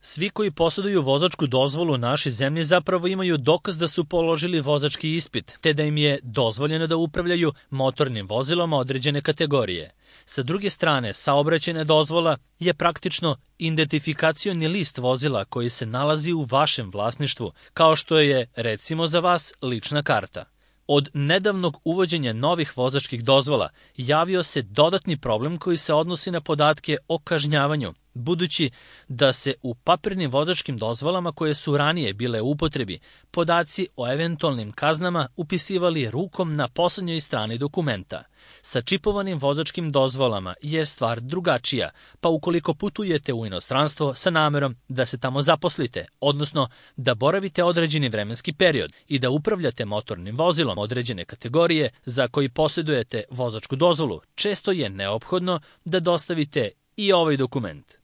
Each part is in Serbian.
Svi koji posjeduju vozačku dozvolu u našoj zemlji zapravo imaju dokaz da su položili vozački ispit, te da im je dozvoljeno da upravljaju motornim vozilom određene kategorije. Sa druge strane, saobraćajna dozvola je praktično identifikacioni list vozila koji se nalazi u vašem vlasništvu, kao što je, recimo za vas, lična karta. Od nedavnog uvođenja novih vozačkih dozvola javio se dodatni problem koji se odnosi na podatke o kažnjavanju, budući da se u papirnim vozačkim dozvolama koje su ranije bile u upotrebi, podaci o eventualnim kaznama upisivali rukom na poslednjoj strani dokumenta. Sa čipovanim vozačkim dozvolama je stvar drugačija, pa ukoliko putujete u inostranstvo sa namerom da se tamo zaposlite, odnosno da boravite određeni vremenski period i da upravljate motornim vozilom određene kategorije za koji posjedujete vozačku dozvolu, često je neophodno da dostavite i ovaj dokument.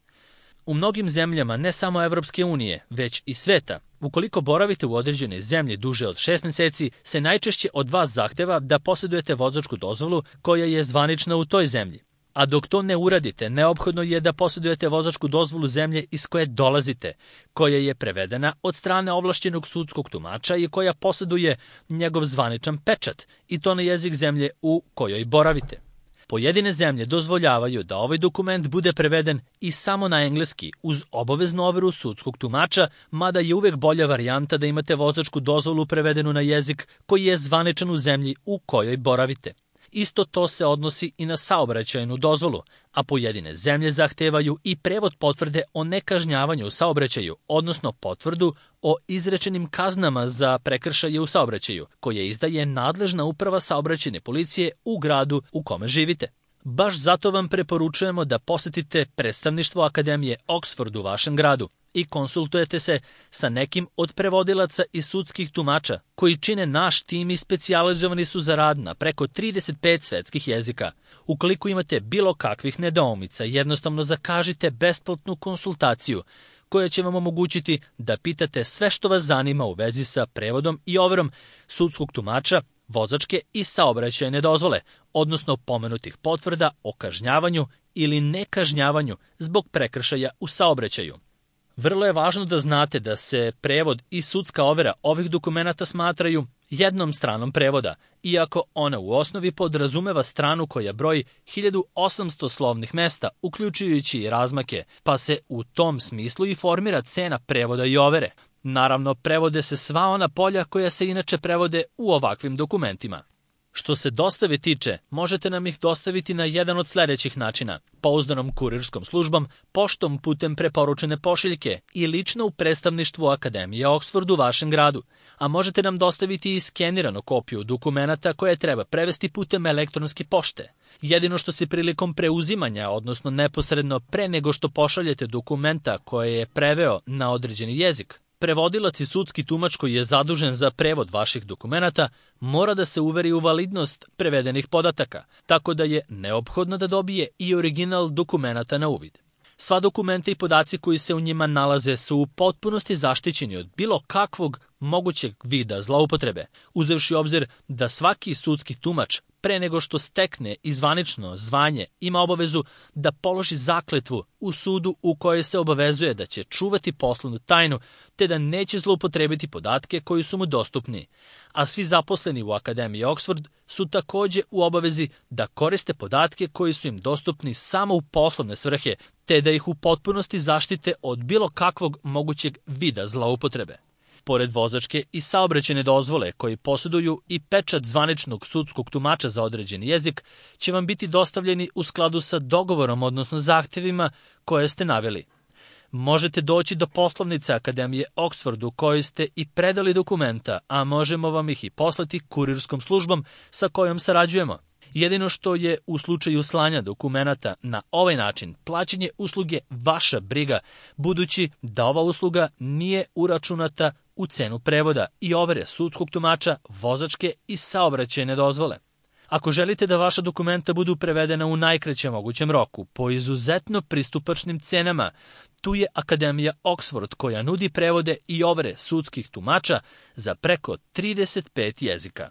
U mnogim zemljama, ne samo Evropske unije, već i sveta, ukoliko boravite u određenoj zemlji duže od 6 meseci, se najčešće od vas zahteva da posjedujete vozačku dozvolu koja je zvanična u toj zemlji. A dok to ne uradite, neophodno je da posjedujete vozačku dozvolu zemlje iz koje dolazite, koja je prevedena od strane ovlašćenog sudskog tumača i koja posjeduje njegov zvaničan pečat, i to na jezik zemlje u kojoj boravite. Pojedine zemlje dozvoljavaju da ovaj dokument bude preveden i samo na engleski uz obaveznu overu sudskog tumača, mada je uvek bolja varijanta da imate vozačku dozvolu prevedenu na jezik koji je zvaničan u zemlji u kojoj boravite. Isto to se odnosi i na saobraćajnu dozvolu, a pojedine zemlje zahtevaju i prevod potvrde o nekažnjavanju u saobraćaju, odnosno potvrdu o izrečenim kaznama za prekršaje u saobraćaju, koje izdaje nadležna uprava saobraćajne policije u gradu u kome živite. Baš zato vam preporučujemo da posetite predstavništvo Akademije Oxford u vašem gradu i konsultujete se sa nekim od prevodilaca i sudskih tumača koji čine naš tim i specijalizovani su za rad na preko 35 svetskih jezika. Ukoliko imate bilo kakvih nedoumica, jednostavno zakažite besplatnu konsultaciju koja će vam omogućiti da pitate sve što vas zanima u vezi sa prevodom i overom sudskog tumača, vozačke i saobraćajne dozvole, odnosno pomenutih potvrda o kažnjavanju ili nekažnjavanju zbog prekršaja u saobraćaju. Vrlo je važno da znate da se prevod i sudska overa ovih dokumenata smatraju jednom stranom prevoda, iako ona u osnovi podrazumeva stranu koja broji 1800 slovnih mesta, uključujući i razmake, pa se u tom smislu i formira cena prevoda i overe. Naravno, prevode se sva ona polja koja se inače prevode u ovakvim dokumentima. Što se dostave tiče, možete nam ih dostaviti na jedan od sledećih načina: pouzdanom kurirskom službom, poštom putem preporučene pošiljke i lično u predstavništvu Akademije Oxford u vašem gradu, a možete nam dostaviti i skeniranu kopiju dokumenata koje treba prevesti putem elektronske pošte. Jedino što se prilikom preuzimanja, odnosno neposredno pre nego što pošaljete dokumenta koje je preveo na određeni jezik, prevodilac i sudski tumač koji je zadužen za prevod vaših dokumenata mora da se uveri u validnost prevedenih podataka, tako da je neophodno da dobije i original dokumenata na uvid. Sva dokumenta i podaci koji se u njima nalaze su u potpunosti zaštićeni od bilo kakvog mogućeg vida zloupotrebe, uzevši u obzir da svaki sudski tumač pre nego što stekne i zvanično zvanje ima obavezu da položi zakletvu u sudu u kojoj se obavezuje da će čuvati poslovnu tajnu te da neće zloupotrebiti podatke koji su mu dostupni. A svi zaposleni u Akademiji Oxford su takođe u obavezi da koriste podatke koji su im dostupni samo u poslovne svrhe, te da ih u potpunosti zaštite od bilo kakvog mogućeg vida zloupotrebe. Pored vozačke i saobraćajne dozvole koji posjeduju i pečat zvaničnog sudskog tumača za određeni jezik će vam biti dostavljeni u skladu sa dogovorom, odnosno zahtevima koje ste naveli. Možete doći do poslovnice Akademije Oxford u kojoj ste i predali dokumenta, a možemo vam ih i poslati kurirskom službom sa kojom sarađujemo. Jedino što je u slučaju slanja dokumenata na ovaj način plaćanje usluge vaša briga, budući da ova usluga nije uračunata u cenu prevoda i overe sudskog tumača, vozačke i saobraćajne dozvole. Ako želite da vaša dokumenta budu prevedena u najkraćem mogućem roku, po izuzetno pristupačnim cenama, tu je Akademija Oxford koja nudi prevode i overe sudskih tumača za preko 35 jezika.